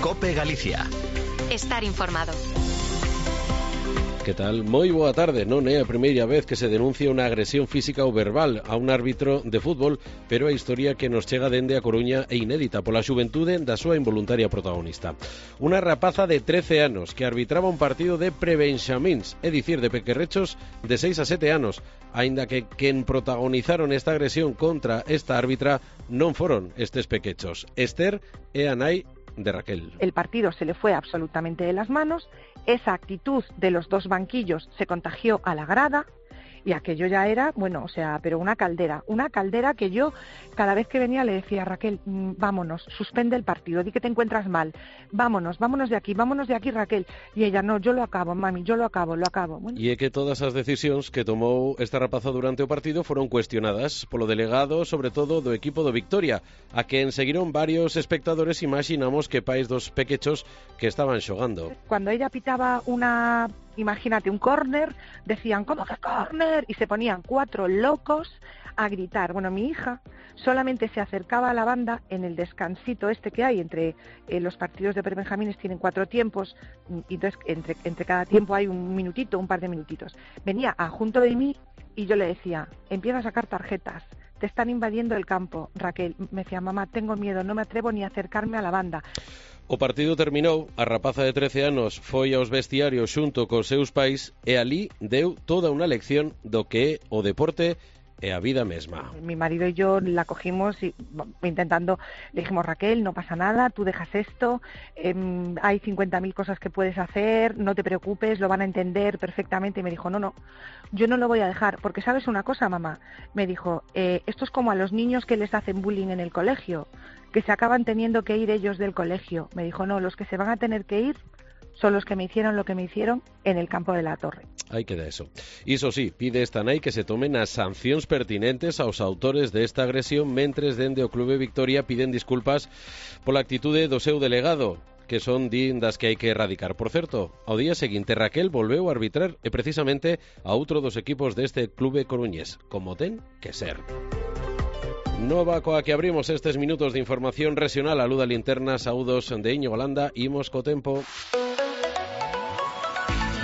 COPE Galicia. Estar informado. Que tal? Moi boa tarde. Non é a primeira vez que se denuncia unha agresión física ou verbal a un árbitro de fútbol, pero a historia que nos chega dende a Coruña é inédita pola xuventude da súa involuntaria protagonista. Unha rapaza de 13 anos que arbitraba un partido de prebenxamíns, é dicir, de pequerrechos de 6 a 7 anos, aínda que quen protagonizaron esta agresión contra esta árbitra non foron estes pequechos. Esther é a nai de Raquel. El partido se le fue absolutamente de las manos, esa actitud de los dos banquillos se contagió a la grada y aquello ya era, pero una caldera que yo cada vez que venía le decía a Raquel, vámonos, suspende el partido, di que te encuentras mal, vámonos de aquí Raquel, y ella, no, yo lo acabo, mami, yo lo acabo. Bueno. E é que todas as decisións que tomou esta rapaza durante o partido foron cuestionadas polo delegado, sobre todo do equipo do Victoria, a quen seguiron varios espectadores, imaginamos que pais dos pequechos que estaban xogando. Cuando ella pitaba imagínate, un córner, decían, ¿cómo que córner? Y se ponían 4 locos a gritar. Bueno, mi hija solamente se acercaba a la banda en el descansito este que hay entre los partidos de prebenjamines, tienen 4 tiempos, y entonces entre cada tiempo hay un par de minutitos. Venía junto de mí y yo le decía, empieza a sacar tarjetas, te están invadiendo el campo, Raquel. Me decía, mamá, tengo miedo, no me atrevo ni a acercarme a la banda. O partido terminou, a rapaza de 13 anos foi aos vestiarios xunto cos seus pais e ali deu toda unha lección do que é o deporte e a vida mesma. Mi marido y yo la cogimos y intentando, le dijimos, Raquel, no pasa nada, tú dejas esto, hay 50.000 cosas que puedes hacer, no te preocupes, lo van a entender perfectamente. Y me dijo, no, yo no lo voy a dejar, porque ¿sabes una cosa, mamá? Me dijo, esto es como a los niños que les hacen bullying en el colegio, que se acaban teniendo que ir ellos del colegio. Me dijo, no, los que se van a tener que ir son los que me hicieron lo que me hicieron en el campo de la Torre. Aí queda eso. Iso sí, pide esta nai que se tomen as sancións pertinentes aos autores desta agresión, mentres dende o Clube Victoria piden disculpas pola actitude do seu delegado, que son das que hai que erradicar. Por certo, ao día seguinte Raquel volveu a arbitrar e precisamente a outro dos equipos deste clube coruñés, como ten que ser. Nova coa que abrimos estes minutos de información regional. A Luda Linterna, saúdos de Íñigo Landa, imos co tempo.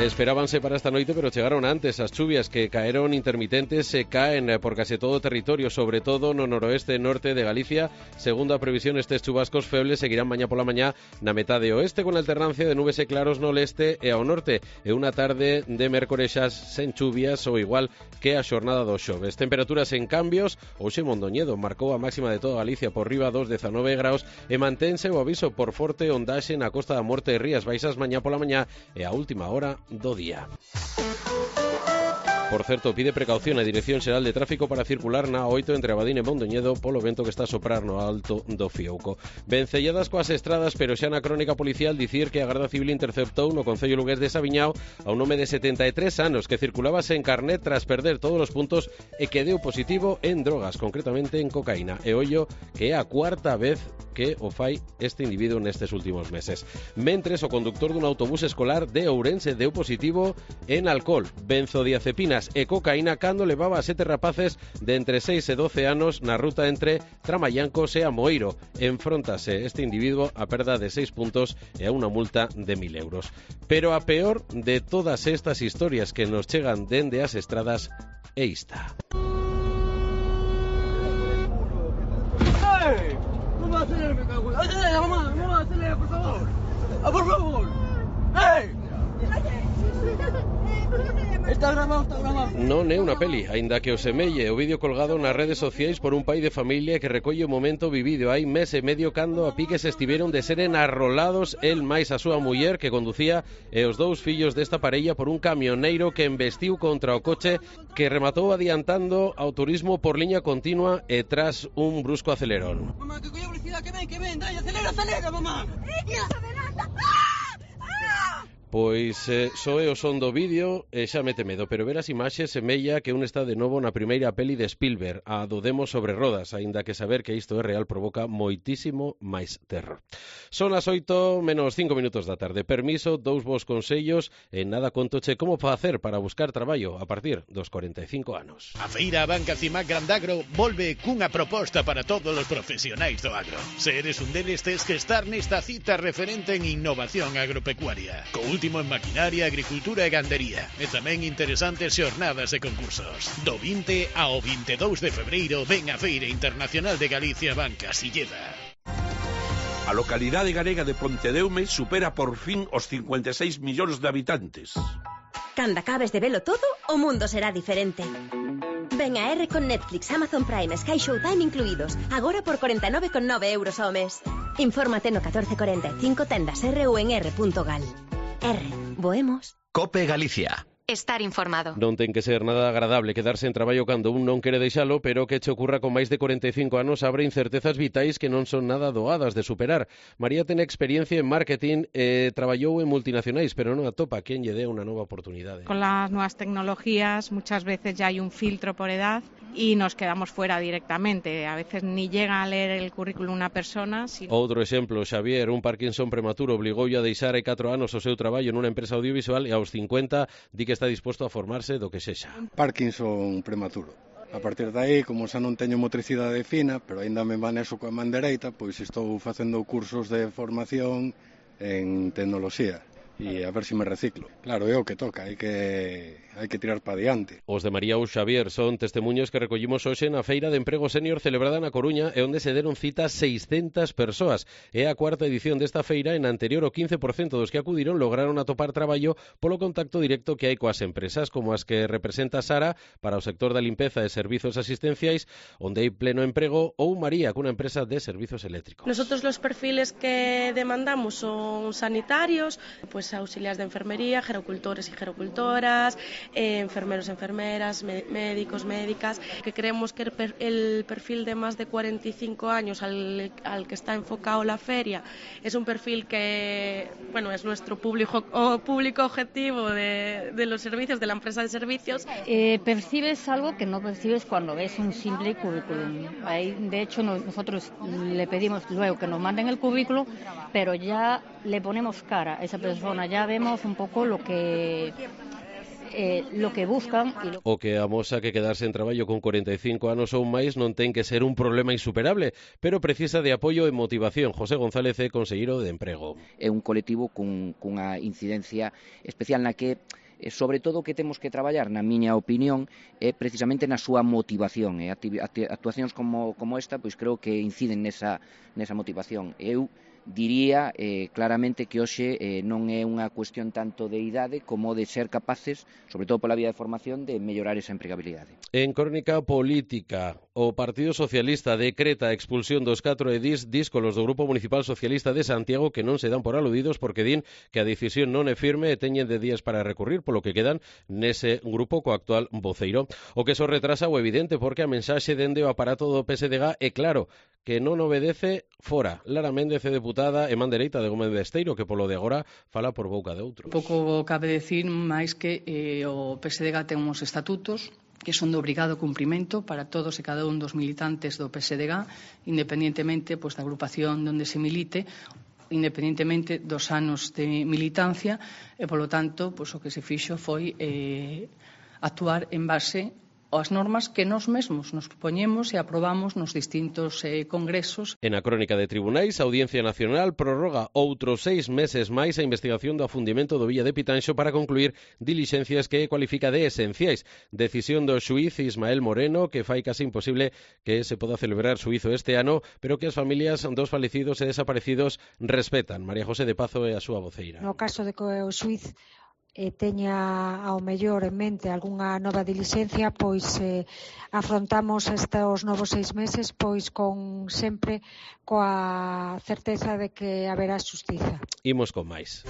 Esperábanse para esta noite, pero chegaron antes. As chuvias que caeron intermitentes se caen por case todo o territorio, sobre todo no noroeste e norte de Galicia. Segundo a previsión, estes chubascos febles seguirán mañá pola mañá na metade oeste, con alternancia de nubes e claros no leste e ao norte, e unha tarde de mércorexas sen chuvias ou igual que a xornada dos xoves. Temperaturas en cambios. Hoxe Mondoñedo marcou a máxima de toda Galicia por riba dos 19 graus e mantense o aviso por forte ondaxe na Costa da Morte e Rías Baixas mañá pola mañá e a última hora do día. Por certo, pide precaución a Dirección Xeral de Tráfico para circular na 8 entre Abadín e Mondoñedo polo vento que está a soprar no alto do Fiouco. Vencelladas coas estradas, pero xa na crónica policial dicir que a Garda Civil interceptou no concello lugués de Sabiñao a un home de 73 anos que circulaba sen carnet tras perder todos os puntos e que deu positivo en drogas, concretamente en cocaína. E ollo que é a cuarta vez que o fai este individuo nestes últimos meses. Mentres, o conductor dun autobús escolar de Ourense deu positivo en alcohol, benzodiazepinas e cocaína cando levaba a 7 rapaces de entre 6 e 12 anos na ruta entre Tramallancos e Amoeiro. Enfróntase este individuo a perda de 6 puntos e a unha multa de 1.000 euros. Pero a peor de todas estas historias que nos chegan dende as estradas é esta. ¡No me acelere, me cago! ¡Acelera, mamá! ¡No me acelere, por favor! ¡Por favor! ¡Hey! Está grabado. Non é unha peli, aínda que o semelle o vídeo colgado nas redes sociais por un pai de familia que recolle o momento vivido hai mes e medio cando a piques estiveron de seren arrolados el máis a súa muller que conducía e os 2 fillos desta parella por un camioneiro que embestiu contra o coche que rematou adiantando ao turismo por liña continua e tras un brusco acelerón. Mamá, que coño velocidad, que ven, dai, acelera, mamá. ¡Adelanta! Pois soe o son do vídeo e xa mete medo, pero ver as imaxes semella que un está de novo na primeira peli de Spielberg, a do Demo sobre rodas, aínda que saber que isto é real provoca moitísimo máis terror. Son as 8 menos 5 minutos da tarde. Permiso, dous vos consellos e nada contoche como facer para buscar traballo a partir dos 45 anos. A Feira Banca Cimac Grandagro volve cunha proposta para todos os profesionais do agro. Se eres un deles, tes que estar nesta cita referente en innovación agropecuaria, co último en maquinaria, agricultura e gandería, e tamén interesantes xornadas e concursos. Do 20 ao 22 de febreiro ven a Feira Internacional de Galicia Banca Silleda. A localidade galega de Pontedeume supera por fin os 56 millóns de habitantes. Cando acabes de velo todo, o mundo será diferente. Ven a R con Netflix, Amazon Prime, Sky Showtime incluídos, agora por 49,9 euros ao mes. Infórmate no 1445 tendas R ou en r.gal. R, voemos. COPE Galicia. Estar informado. Non ten que ser nada agradable quedarse en traballo cando un non quere deixalo, pero que che ocurra con máis de 45 anos abre incertezas vitais que non son nada doadas de superar. María ten experiencia en marketing e traballou en multinacionais, pero non atopa quen lle dé unha nova oportunidade. Con las nuevas tecnologías muchas veces ya hay un filtro por edad y nos quedamos fuera directamente. A veces ni llega a leer el currículum una persona. Outro exemplo, Xavier, un Parkinson prematuro obligoulle a deixar hai 4 anos o seu traballo nunha empresa audiovisual e aos 50 di que está disposto a formarse do que sexa. Parkinson prematuro. A partir de aí, como xa non teño motricidade fina, pero aínda me manexo coa man dereita, pois estou facendo cursos de formación en tecnoloxía e a ver se me reciclo. Claro, é o que toca, hai que tirar para diante. Os de María ou Xavier son testemunhos que recollimos hoxe na Feira de Emprego Senior celebrada na Coruña e onde se deron cita 600 persoas. É a cuarta edición desta feira e na anterior o 15% dos que acudiron lograron atopar traballo polo contacto directo que hai coas empresas, como as que representa Sara para o sector da limpeza e servizos asistenciais, onde hai pleno emprego, ou María, cunha empresa de servizos eléctricos. Nosotros los perfiles que demandamos son sanitarios, pues auxiliares de enfermería, gerocultores y gerocultoras, enfermeros, enfermeras, médicos, médicas, que creemos que el perfil de más de 45 años al que está enfocado la feria es un perfil que, bueno, es nuestro público objetivo de los servicios, de la empresa de servicios. Percibes algo que no percibes cuando ves un simple currículum. Ahí, de hecho, nosotros le pedimos luego que nos manden el currículum, pero ya le ponemos cara a esa persona, ya vemos un poco lo que buscan. O que amosa que quedarse en traballo con 45 anos ou máis non ten que ser un problema insuperable, pero precisa de apoio e motivación. José González é conselleiro de Emprego. É un colectivo cunha incidencia especial na que sobre todo o que temos que traballar, na miña opinión, é precisamente na súa motivación. E actuacións como esta, pois creo que inciden nesa motivación. Eu diría claramente que hoxe non é unha cuestión tanto de idade como de ser capaces, sobre todo pola vía de formación, de mellorar esa empregabilidade. En crónica política, o Partido Socialista decreta a expulsión dos 4 edís díscolos do Grupo Municipal Socialista de Santiago que non se dan por aludidos porque din que a decisión non é firme e teñen de días para recurrir, polo que quedan nese grupo co actual voceiro. O que so retrasa o evidente porque a mensaxe dende o aparato do PSDG é claro, que non obedece fora. Lara Méndez é deputada e man dereita de Gómez Besteiro, que polo de agora fala por boca de outros. Pouco cabe decir máis que o PSDG ten uns estatutos que son de obrigado cumprimento para todos e cada un dos militantes do PSDG, independientemente da agrupación onde se milite, independentemente dos anos de militancia, e polo tanto o que se fixo foi actuar en base as normas que nós mesmos nos poñemos e aprobamos nos distintos congresos. En a crónica de tribunais, a Audiencia Nacional prorroga outros 6 meses máis a investigación do afundimento do Villa de Pitanxo para concluir dilixencias que cualifica de esenciais. Decisión do xuíz Ismael Moreno que fai case imposible que se poda celebrar xuízo este ano, pero que as familias dos falecidos e desaparecidos respetan. María José de Pazo é a súa voceira. No caso de que o xuíz teña ao mellor en mente algunha nova dilixencia, pois afrontamos estes novos 6 meses sempre coa certeza de que haberá xustiza. Imos con máis.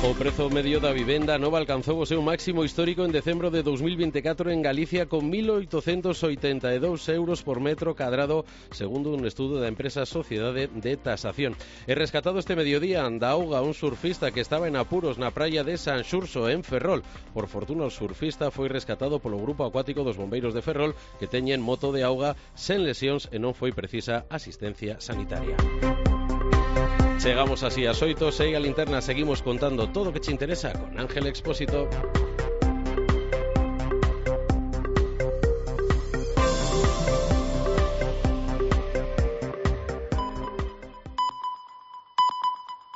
O prezo medio da vivenda nova alcanzou o seu máximo histórico en decembro de 2024 en Galicia con 1.882 euros por metro cadrado, segundo un estudo da empresa Sociedade de Tasación. E rescatado este mediodía da auga un surfista que estaba en apuros na praia de San Xurxo, en Ferrol. Por fortuna, o surfista foi rescatado polo grupo acuático dos bombeiros de Ferrol, que teñen moto de auga sen lesións e non foi precisa asistencia sanitaria. Chegamos así ás 8, segue a linterna, seguimos contando todo o que te interesa con Ángel Expósito.